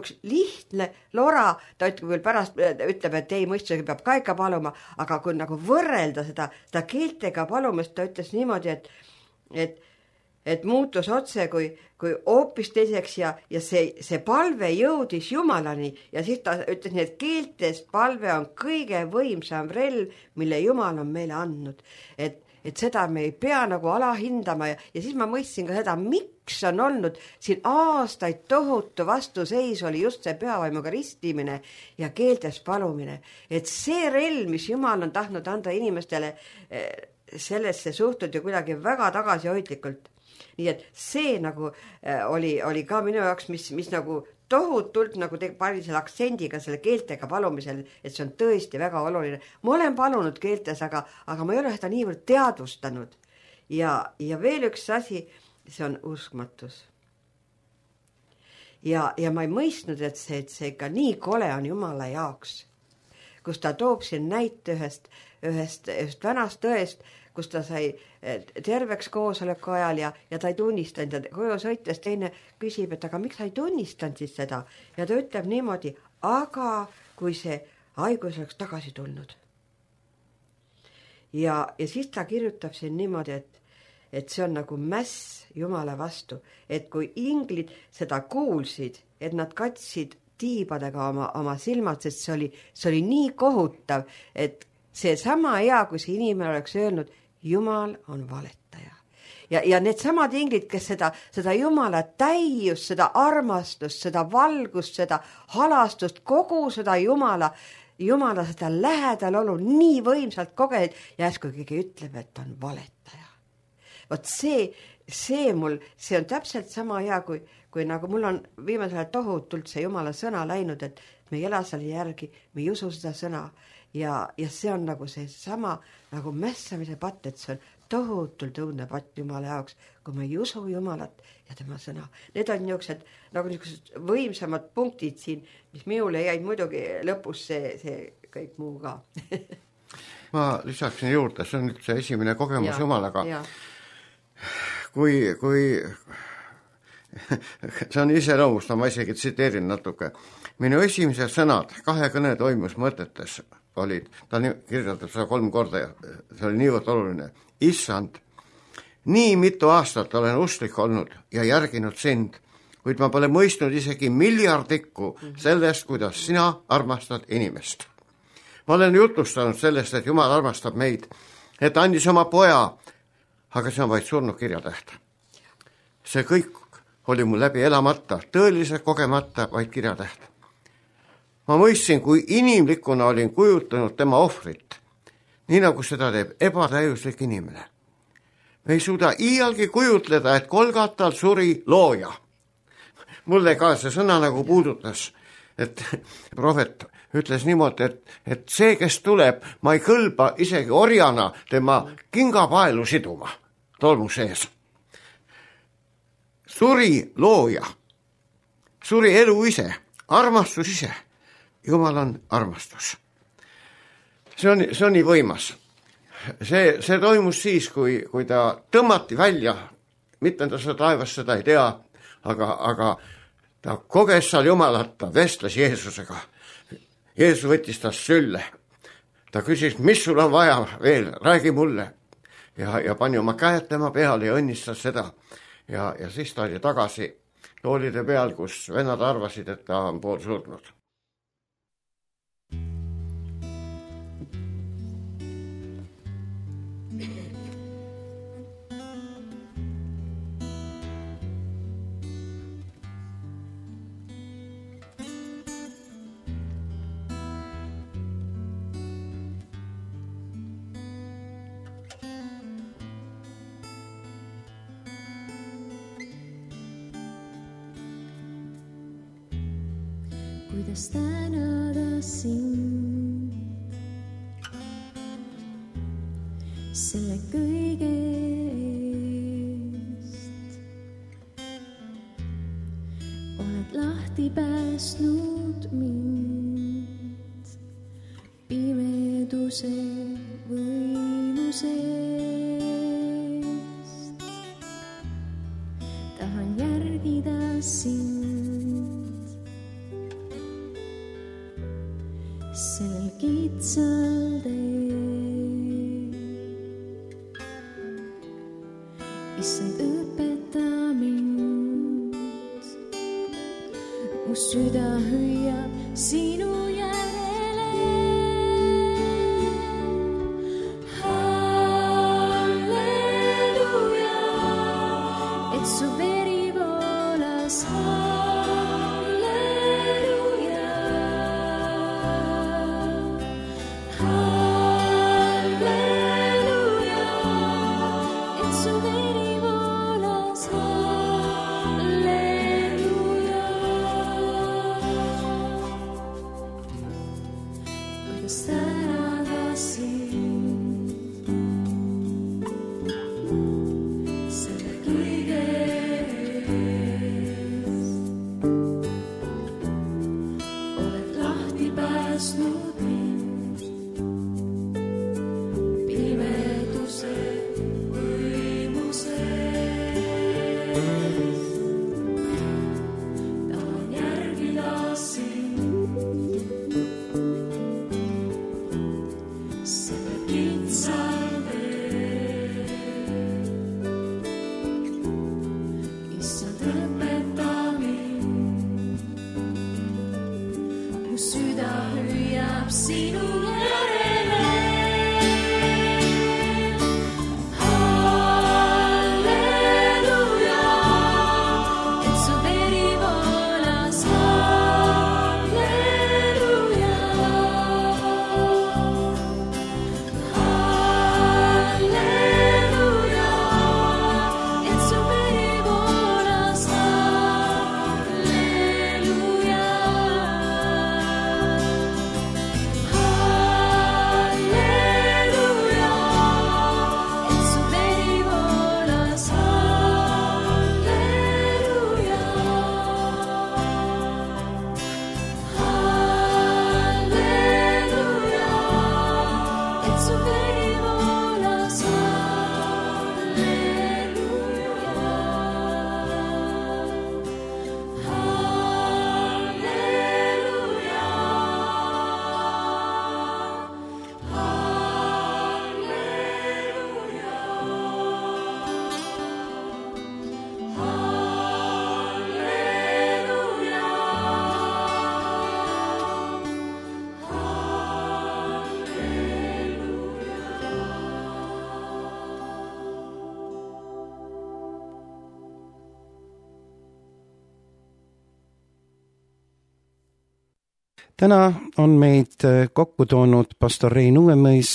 üks lihtne lora, ta ütleb küll pärast, ütleb, et ei, mõistusega peab ka ikka paluma, aga kui nagu võrrelda seda keeltega palumist, ta ütles niimoodi, et muutus otse kui hoopis teiseks ja see palve jõudis Jumalani ja siis ta ütles nii, et keeltest palve on kõige võimsam relv, mille Jumal on meile andnud. Et seda me ei pea nagu alahindama ja siis ma mõistsin ka seda, miks on olnud siin aastaid tohutu vastuseis oli just see pühavaimuga ristimine ja keeltest palumine. Et see relv, mis Jumal on tahtnud anda inimestele, sellesse suhtud ju kuidagi väga tagasihoidlikult. Nii et see nagu oli ka minu jaoks, mis nagu tohutult nagu pani selle aktsendiga selle keeltega palumisel, et see on tõesti väga oluline. Ma olen palunud keeltes, aga ma ei ole seda niivõrd teadvustanud. Ja veel üks asi, see on uskmatus. Ja ma ei mõistnud, et see ikka nii kole on Jumala jaoks, kus ta toob siin näite ühest vanast tõest, kus ta sai terveks koosoleku ajal ja ta ei tunnistanud ja koju sõites teine küsib, et aga miks sa ei tunnistanud siis seda ja ta ütleb niimoodi, aga kui see haigus oleks tagasi tulnud. Ja siis ta kirjutab siin niimoodi, et see on nagu mäss Jumala vastu, et kui inglid seda kuulsid, et nad katsid tiibadega oma silmad, sest see oli nii kohutav, et see sama hea, kui see inimene oleks öelnud, Jumal on valetaja. Ja need samad inglid, kes seda Jumala täiust, seda armastust, seda valgust, seda halastust, kogu seda Jumala seda lähedal olu nii võimsalt kogenud ja äsku keegi ütleb, et on valetaja. Vot see on täpselt sama hea, kui nagu mul on viimasel tohutult see Jumala sõna läinud, et me ei ela selle järgi, me ei usu seda sõna ja see on nagu see sama nagu mässamise patt, et see on tohutult õudne patt Jumala jaoks, kui me ei usu Jumalat ja tema sõna. Need on niisugused võimsamad punktid siin, mis minule jäid muidugi lõpus see kõik muu ka. Ma lisaksin juurde, see on nüüd see esimene kogemus Jumalaga. Kui see on iseloomusta, ma isegi tsiteerin natuke. Minu esimesed sõnad 2 kõne toimus mõtetes olid, ta kirjeldab seda 3 korda ja see oli niivõrd oluline. Issand, nii mitu aastat olen usklik olnud ja järginud sind, kuid ma pole mõistnud isegi miljardikku sellest, kuidas sina armastad inimest. Ma olen jutustanud sellest, et Jumal armastab meid, et andis oma poja, aga see on vaid surnud kirjatäht. See kõik oli mul läbi elamata, tõeliselt kogemata vaid kirjatäht. Ma mõistsin, kui inimlikuna olin kujutanud tema ohvrit, nii nagu seda teeb ebatäiuslik inimene. Me ei suuda iialgi kujutleda, et Golgatal suri looja. Mulle ka see sõna nagu puudutas, et prohvet ütles niimoodi, et see, kes tuleb, ma ei kõlba isegi orjana tema kingapaelu siduma tolmu sees. Suri looja, suri elu ise, armastus ise. Jumal on armastus. See on nii võimas. See toimus siis, kui ta tõmmati välja, mitte ta seda taevas seda ei tea, aga ta koges seal Jumalat, ta vestles Jeesusega. Jeesus võttis ta sülle. Ta küsis, mis sul on vaja veel, räägi mulle. Ja pani oma käed tema peale ja õnnistas seda. Ja siis ta oli tagasi toolide peal, kus vennad arvasid, et ta on pool surnud. Kuidas tänada sind selle kõige eest. Oled lahti päästnud mind pimeduse võimusest. Tahan järgida sind sellel kitsal teel. Issand, õpeta mind, mu süda hüüab sinu järele. Halleluja, et su veri voolas. Süda hüüab sinu järele. täna on meid kokku toonud pastor Rein Uuemõis,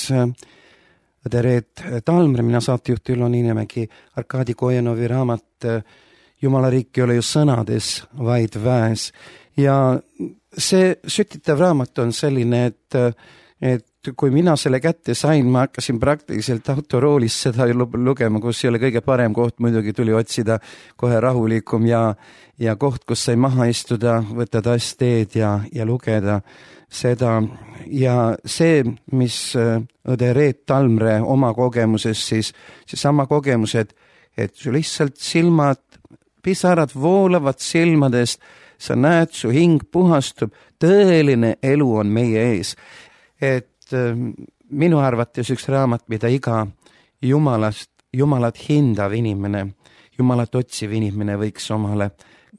õde Reet Talmre, mina saatejuht Ülo Niinemägi. Arkadi Kojanovi raamat Jumala riik ei ole ju sõnades, vaid väes. Ja see sütitav raamat on selline, et kui mina selle kätte sain, ma hakkasin praktiliselt autoroolis seda lugema, kus ei ole kõige parem koht, muidugi tuli otsida kohe rahulikum ja koht, kus sai maha istuda, võtta tass teed ja lugeda seda. Ja see, mis õde Reet Talmre oma kogemuses, siis seesama kogemus, et su lihtsalt silmad, pisarad voolavad silmadest, sa näed, su hing puhastub, tõeline elu on meie ees. Et minu arvates üks raamat, mida iga Jumalat hindav inimene, Jumalat otsiv inimene võiks omale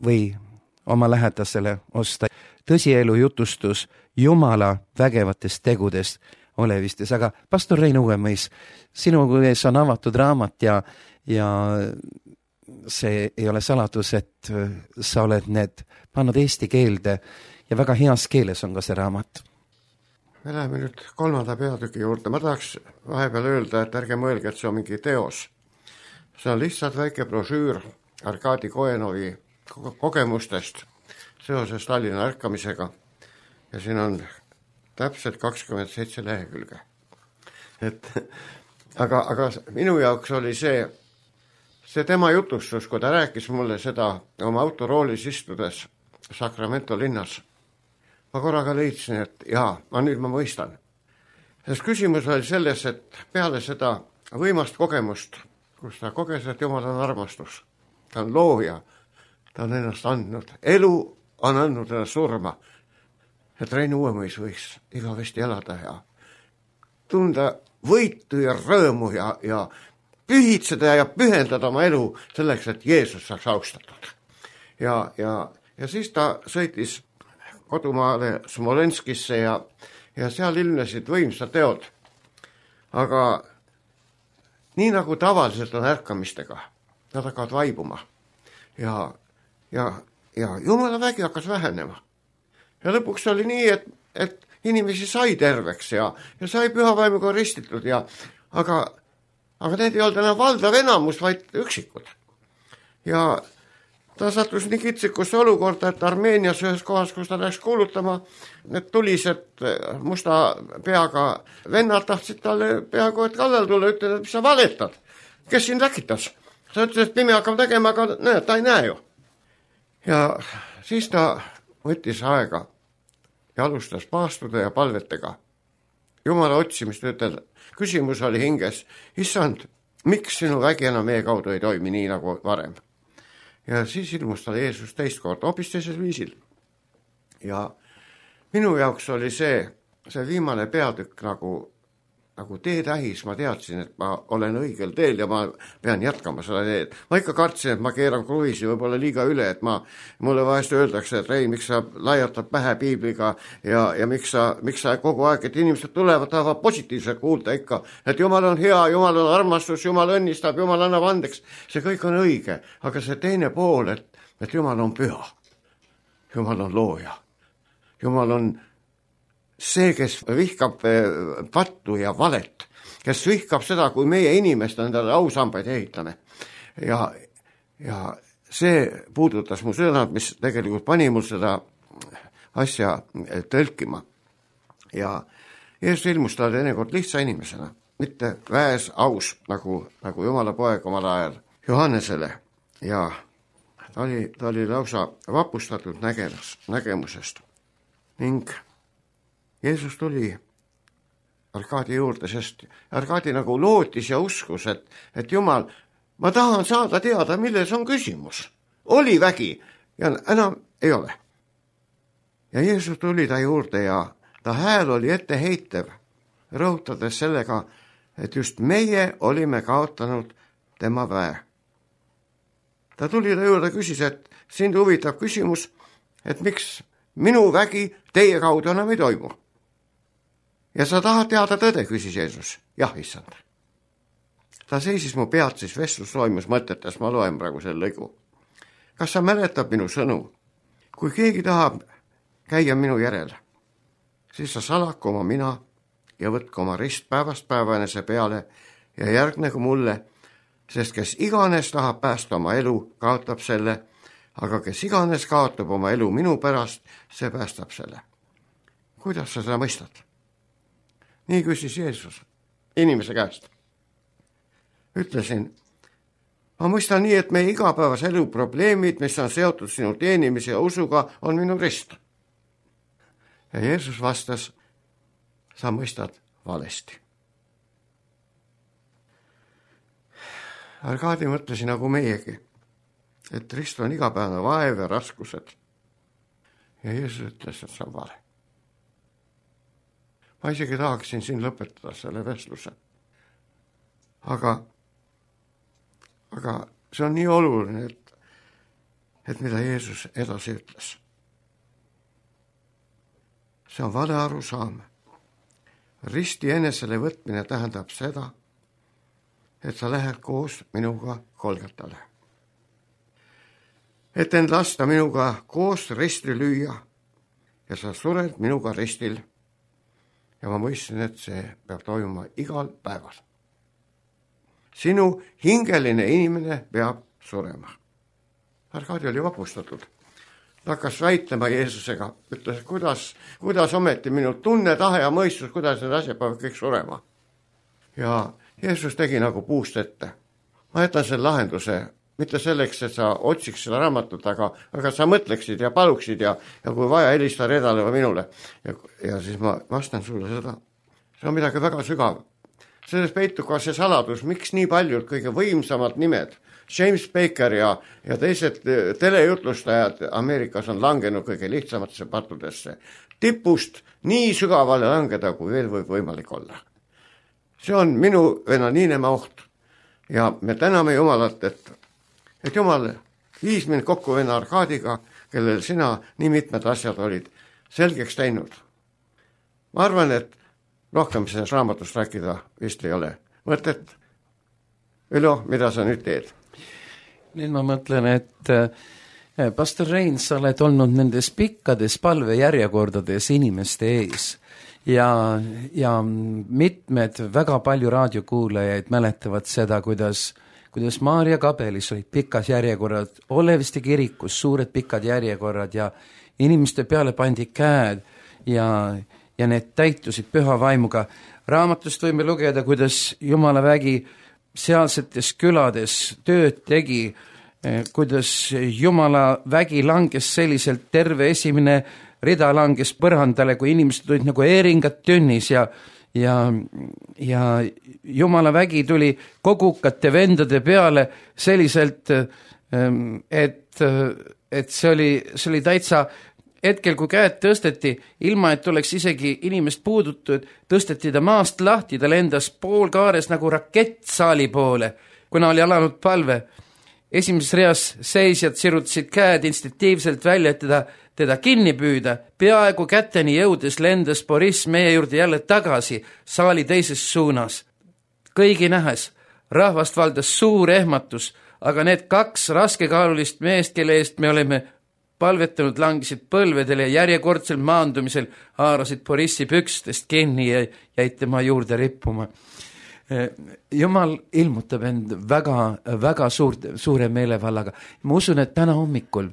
või oma lähedasele osta. Tõsielu jutustus Jumala vägevatest tegudest olevistes. Aga pastor Rein Uuemõis, sinu ees on avatud raamat ja see ei ole saladus, et sa oled need pannud eesti keelde ja väga heas keeles on ka see raamat. Me läheme nüüd 3. peatüki juurde. Ma tahaks vahepeal öelda, et ärge mõelge, et see on mingi teos. See on lihtsalt väike brošüür Arkadi Kojanovi kogemustest seoses Tallinna ärkamisega. Ja siin on täpselt 27 lehekülge. Aga minu jaoks oli see tema jutustus, kui ta rääkis mulle seda oma autoroolis istudes Sacramento linnas. Ma korraga leidsin, et nüüd ma mõistan. Sest küsimus oli selles, et peale seda võimast kogemust, kus ta koges, et Jumal on armastus, ta on looja, ta on ennast andnud, elu on andnud ennast surma, et Rein Uuemõis võiks igavesti elada ja tunda võitu ja rõõmu ja pühitseda ja pühendada oma elu selleks, et Jeesus saaks austatud. Ja siis ta sõitis kodumaale Smolenskisse ja seal ilmnesid võimsad teod. Aga nii nagu tavaliselt on ärkamistega, nad hakkavad vaibuma. Ja Jumala vägi hakkas vähenema. Ja lõpuks oli nii, et inimesi sai terveks ja sai pühavaimuga ristitud. Aga need ei olnud enam valdav enamus, vaid üksikud. Ja ta sattus nii kitsikusse olukorda, et Armeenias ühes kohas, kus ta läks kuulutama, need tulised musta peaga vennad tahtsid talle peaaegu et kallal tulla, ütlesid, et mis sa valetad, kes siin läkitas? Ta ütles, et pime hakkab tegema, aga näed, ta ei näe ju. Ja siis ta võttis aega ja alustas paastude ja palvetega. Jumala otsimist ütel. Küsimus oli hinges, issand, miks sinu vägi enam meie kaudu ei toimi nii nagu varem? Ja siis ilmus tal Jeesus teist kord, hoopis teisel viisil. Ja minu jaoks oli see viimane peatükk nagu teetähis. Ma teadsin, et ma olen õigel teel ja ma pean jätkama seda teed. Ma ikka kartsin, et ma keeran kruviisi võib-olla liiga üle, et mulle vahest öeldakse, et Rein, miks sa laiatad pähe piibliga ja miks sa kogu aeg, et inimesed tulevad, tahavad positiivselt kuulda ikka, et Jumal on hea, Jumal on armastus, Jumal õnnistab, Jumal annab andeks. See kõik on õige, aga see teine pool, et Jumal on püha. Jumal on looja. Jumal on see, kes vihkab pattu ja valet, kes vihkab seda, kui meie inimest endale ausambaid ehitame. Ja see puudutas mu sõnad, mis tegelikult pani mul seda asja tõlkima. Ja Jeesus ilmus ta teinekord lihtsa inimesena, mitte väes aus, nagu Jumala poeg omal ajal Johannesele. Ja ta oli lausa vapustatud nägemusest. Ning Jeesus tuli Arkadi juurde, sest Arkadi nagu lootis ja uskus, et Jumal, ma tahan saada teada, milles on küsimus. Oli vägi ja enam ei ole. Ja Jeesus tuli ta juurde ja ta hääl oli etteheitev, rõhutades sellega, et just meie olime kaotanud tema väe. Ta tuli ta juurde, küsis, et sind huvitab küsimus, et miks minu vägi teie kaudu enam ei toimu. Ja sa tahad teada tõde, küsis Jeesus. Jah, issand. Ta seisis mu pealt, siis vestlus toimus mõtetes, ma loen praegu selle lõigu. Kas sa mäletad minu sõnu? Kui keegi tahab käia minu järel, siis sa salaku oma mina ja võtku oma rist päevast päeva enese peale ja järgnegu mulle, sest kes iganes tahab päästa oma elu, kaotab selle, aga kes iganes kaotab oma elu minu pärast, see päästab selle. Kuidas sa seda mõistad? Nii küsis Jeesus inimese käest. Ütlesin, ma mõistan nii, et meie igapäevas elu probleemid, mis on seotud sinu teenimise ja usuga, on minu rist. Ja Jeesus vastas, sa mõistad valesti. Arkadi mõtlesin nagu meiegi, et rist on igapäevane vaev ja raskused. Ja Jeesus ütles, et see on vale. Ma isegi tahaksin siin lõpetada selle vestluse. Aga see on nii oluline, et mida Jeesus edasi ütles. See on vale arusaam. Risti enesele võtmine tähendab seda, et sa lähed koos minuga Golgatale. Et end lasta minuga koos risti lüüa ja sa sured minuga ristil. Ja ma mõistsin, et see peab toimuma igal päeval. Sinu hingeline inimene peab surema. Arkadi oli vapustatud. Ta hakkas väitlema Jeesusega, ütles, kuidas ometi minu tunne, tahe ja mõistus, kuidas need asjad peavad kõik surema. Ja Jeesus tegi nagu puust ette. Ma jätan selle lahenduse, mitte selleks, et sa otsiks seda raamatut, aga sa mõtleksid ja paluksid ja kui vaja, helista Redale või minule. Ja siis ma vastan sulle seda. See on midagi väga sügav. Selles peitub ka see saladus, miks nii paljud kõige võimsamad nimed, James Baker ja teised telejutlustajad Ameerikas on langenud kõige lihtsamatesse pattudesse. Tipust nii sügavale langeda, kui veel võib võimalik olla. See on minu venaniinema oht. Ja me täname Jumalat, et Jumal viis mind kokku venna Arkadiga, kellel sina nii mitmed asjad olid selgeks teinud. Ma arvan, et rohkem selles raamatust rääkida vist ei ole mõtet. Ülo, mida sa nüüd teed? Nüüd ma mõtlen, et pastor Rein, sa oled olnud nendes pikkades palvejärjekordades inimeste ees ja mitmed väga palju raadiokuulajaid mäletavad seda, kuidas Maarja kabelis olid pikas järjekorrad, Oleviste kirikus suured pikad järjekorrad ja inimeste peale pandi käed ja need täitusid püha vaimuga. Raamatust võime lugeda, kuidas Jumala vägi sealsetes külades tööd tegi, kuidas Jumala vägi langes selliselt, terve esimene rida langes põrandale, kui inimesed tulid nagu eeringad tünnis ja Jumala vägi tuli kogukate vendade peale selliselt, et see oli täitsa hetkel, kui käed tõsteti, ilma et oleks isegi inimest puudutud, tõsteti ta maast lahti, ta lendas poolkaares nagu rakett saali poole, kuna oli alanud palve. Esimeses reas seisjad sirutasid käed instinktiivselt välja, et teda kinni püüda. Peaaegu käteni jõudes lendas Boris meie juurde jälle tagasi saali teises suunas. Kõigi nähes rahvast valdas suur ehmatus, aga need 2 raskekaalulist meest, kelle eest me oleme palvetanud, langisid põlvedele ja järjekordsel maandumisel haarasid Borissi pükstest kinni ja jäid tema juurde rippuma. Jumal ilmutab end väga suure meelevallaga. Ma usun, et täna hommikul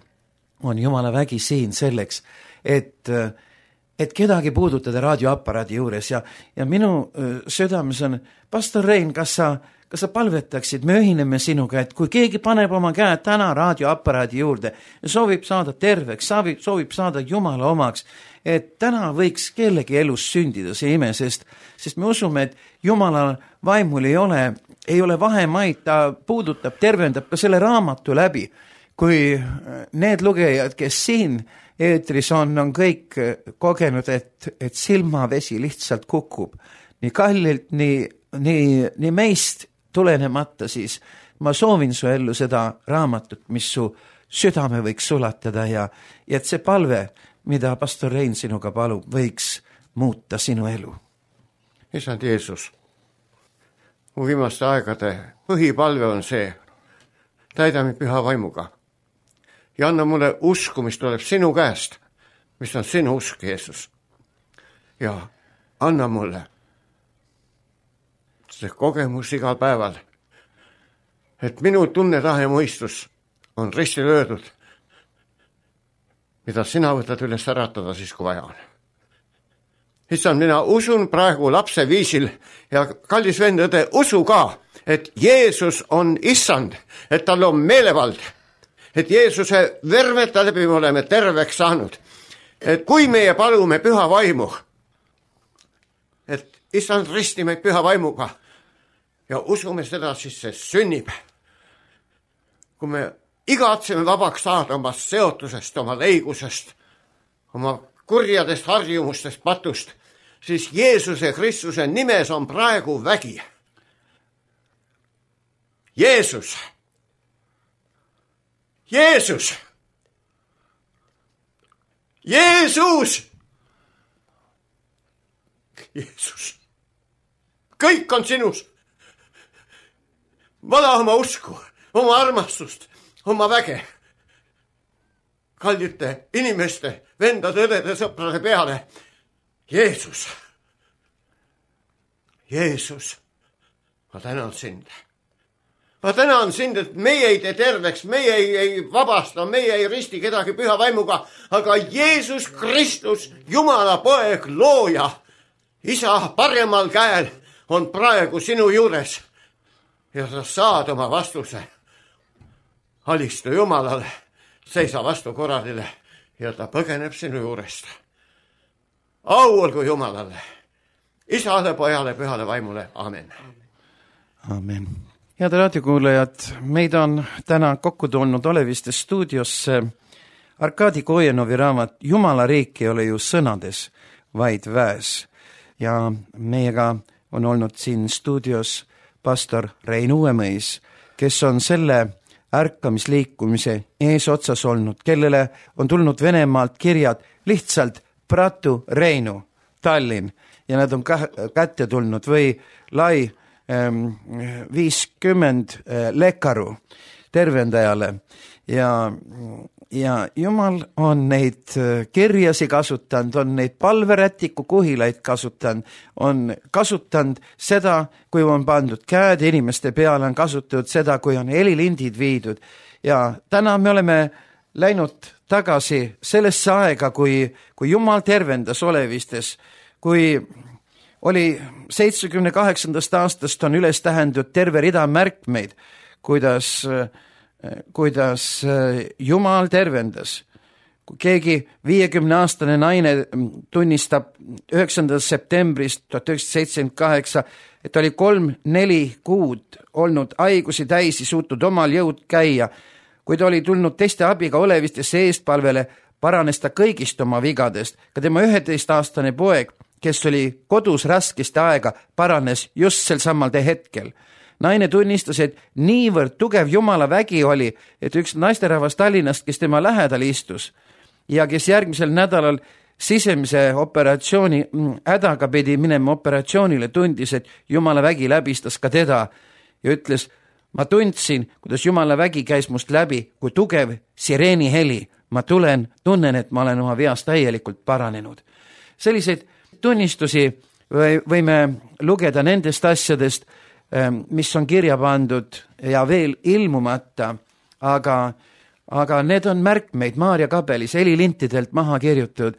on Jumala vägi siin selleks, et kedagi puudutada raadioaparaadi juures ja minu südames on, pastor Rein, kas sa palvetaksid, me ühineme sinuga, et kui keegi paneb oma käed täna raadioaparaadi juurde ja soovib saada terveks, soovib saada Jumala omaks, et täna võiks kellegi elus sündida see ime, sest me usume, et Jumala vaimul ei ole vahemaid, ta puudutab, tervendab ka selle raamatu läbi. Kui need lugejad, kes siin eetris on kõik kogenud, et silmavesi lihtsalt kukub nii kallilt, nii meist tulenemata, siis ma soovin su ellu seda raamatut, mis su südame võiks sulatada ja et see palve, mida pastor Rein sinuga palub, võiks muuta sinu elu. Isand Jeesus, mu viimaste aegade põhipalve on see, täida mind püha vaimuga ja anna mulle usku, mis tuleb sinu käest, mis on sinu usk, Jeesus. ja anna mulle see kogemus igal päeval, et minu tunnetahe mõistus on risti löödud, mida sina võtad üles äratada siis, kui vaja on. Issand, mina usun praegu lapse viisil ja kallis vend õde, usu ka, et Jeesus on issand, et tal on meelevald, et Jeesuse vermeta läbi me oleme terveks saanud, et kui meie palume püha vaimu, et issand risti meid püha vaimuga ja usume seda, siis see sünnib. Kui me igatseme vabaks saada oma seotusest, oma leigusest, oma kurjadest harjumustest, patust, siis Jeesuse Kristuse nimes on praegu vägi. Jeesus! Jeesus! Jeesus! Jeesus! Kõik on sinus. Vala oma usku, oma armastust, oma väge. Kallite inimeste, vendade, õdede, sõprade peale. Jeesus! Jeesus! Ma tänan sind. Ma tänan sind, et meie ei tee terveks, meie ei vabasta, meie ei risti kedagi püha vaimuga, aga Jeesus Kristus, Jumala poeg, looja, isa paremal käel on praegu sinu juures ja sa saad oma vastuse. Alistu Jumalale, seisa vastu korralile ja ta põgeneb sinu juurest. Au olgu Jumalale, isale, pojale, pühale vaimule, amen. Amen. Head raadiokuulajad, meid on täna kokku tulnud Oleviste stuudiosse Arkadi Kojenovi raamat Jumala riik ei ole ju sõnades, vaid väes. Ja meiega on olnud siin stuudios pastor Rein Uuemõis, kes on selle ärkamisliikumise eesotsas olnud, kellele on tulnud Venemaalt kirjad lihtsalt Pratu Reinu, Tallinn, ja nad on kätte tulnud või lai 50 lekaru tervendajale ja Jumal on neid kirjasi kasutanud, on neid palverätiku kuhilaid kasutanud, on kasutanud seda, kui on pandud käed inimeste peale, on kasutatud seda, kui on helilindid viidud ja täna me oleme läinud tagasi sellesse aega, kui Jumal tervendas Olevistes, kui oli 78. aastast on üles tähendud terve rida märkmeid, kuidas Jumal tervendas. Kui keegi 50-aastane naine tunnistab 9. septembrist 1978, et oli 3-4 kuud olnud haigusi täisi, suutnud omal jõud käia, kui ta oli tulnud teiste abiga Olevistesse eestpalvele, paranes ta kõigist oma vigadest. Ka tema 11-aastane poeg, kes oli kodus raskeste aega, paranes just sel samal hetkel. Naine tunnistas, et niivõrd tugev Jumala vägi oli, et üks naisterahvas Tallinnast, kes tema lähedal istus ja kes järgmisel nädalal sisemise operatsiooni hädaga pidi minema operatsioonile, tundis, et Jumala vägi läbistas ka teda ja ütles, ma tundsin, kuidas Jumala vägi käis must läbi, kui tugev sireeni heli. Ma tunnen, et ma olen oma veast täielikult paranenud. Selliseid tunnistusi võime lugeda nendest asjadest, mis on kirja pandud ja veel ilmumata, aga need on märkmeid Maarja kabelis helilintidelt maha kirjutatud,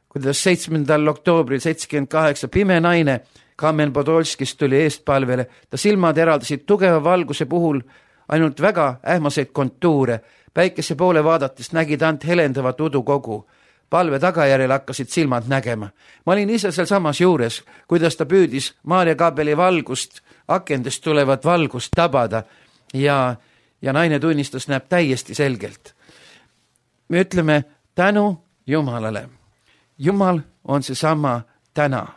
kuidas 7. oktoobril 78 pime naine Kamen Podolskist tuli eestpalvele, ta silmad eraldasid tugeva valguse puhul ainult väga ähmaseid kontuure, päikese poole vaadates nägid ant helendavat udukogu. Palve tagajärjel hakkasid silmad nägema. Ma olin ise seal samas juures, kuidas ta püüdis Maarja kabeli valgust, akendest tulevat valgust tabada ja naine tunnistas, näeb täiesti selgelt. Me ütleme tänu Jumalale. Jumal on seesama täna.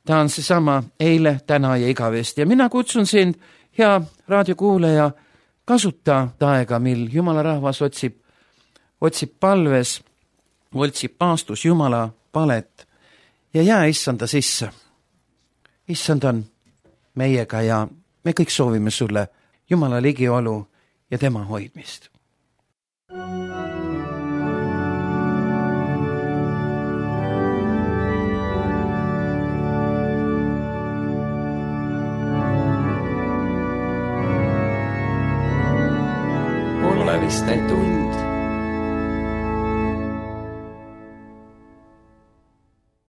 Ta on seesama eile, täna ja igavesti. Ja mina kutsun sind, hea raadiokuulaja, kasuta aega, mil Jumala rahvas otsib palves, otsib paastus Jumala palet ja jää issanda sisse. Issand on meiega ja me kõik soovime sulle Jumala ligiolu ja tema hoidmist. tuleviste tund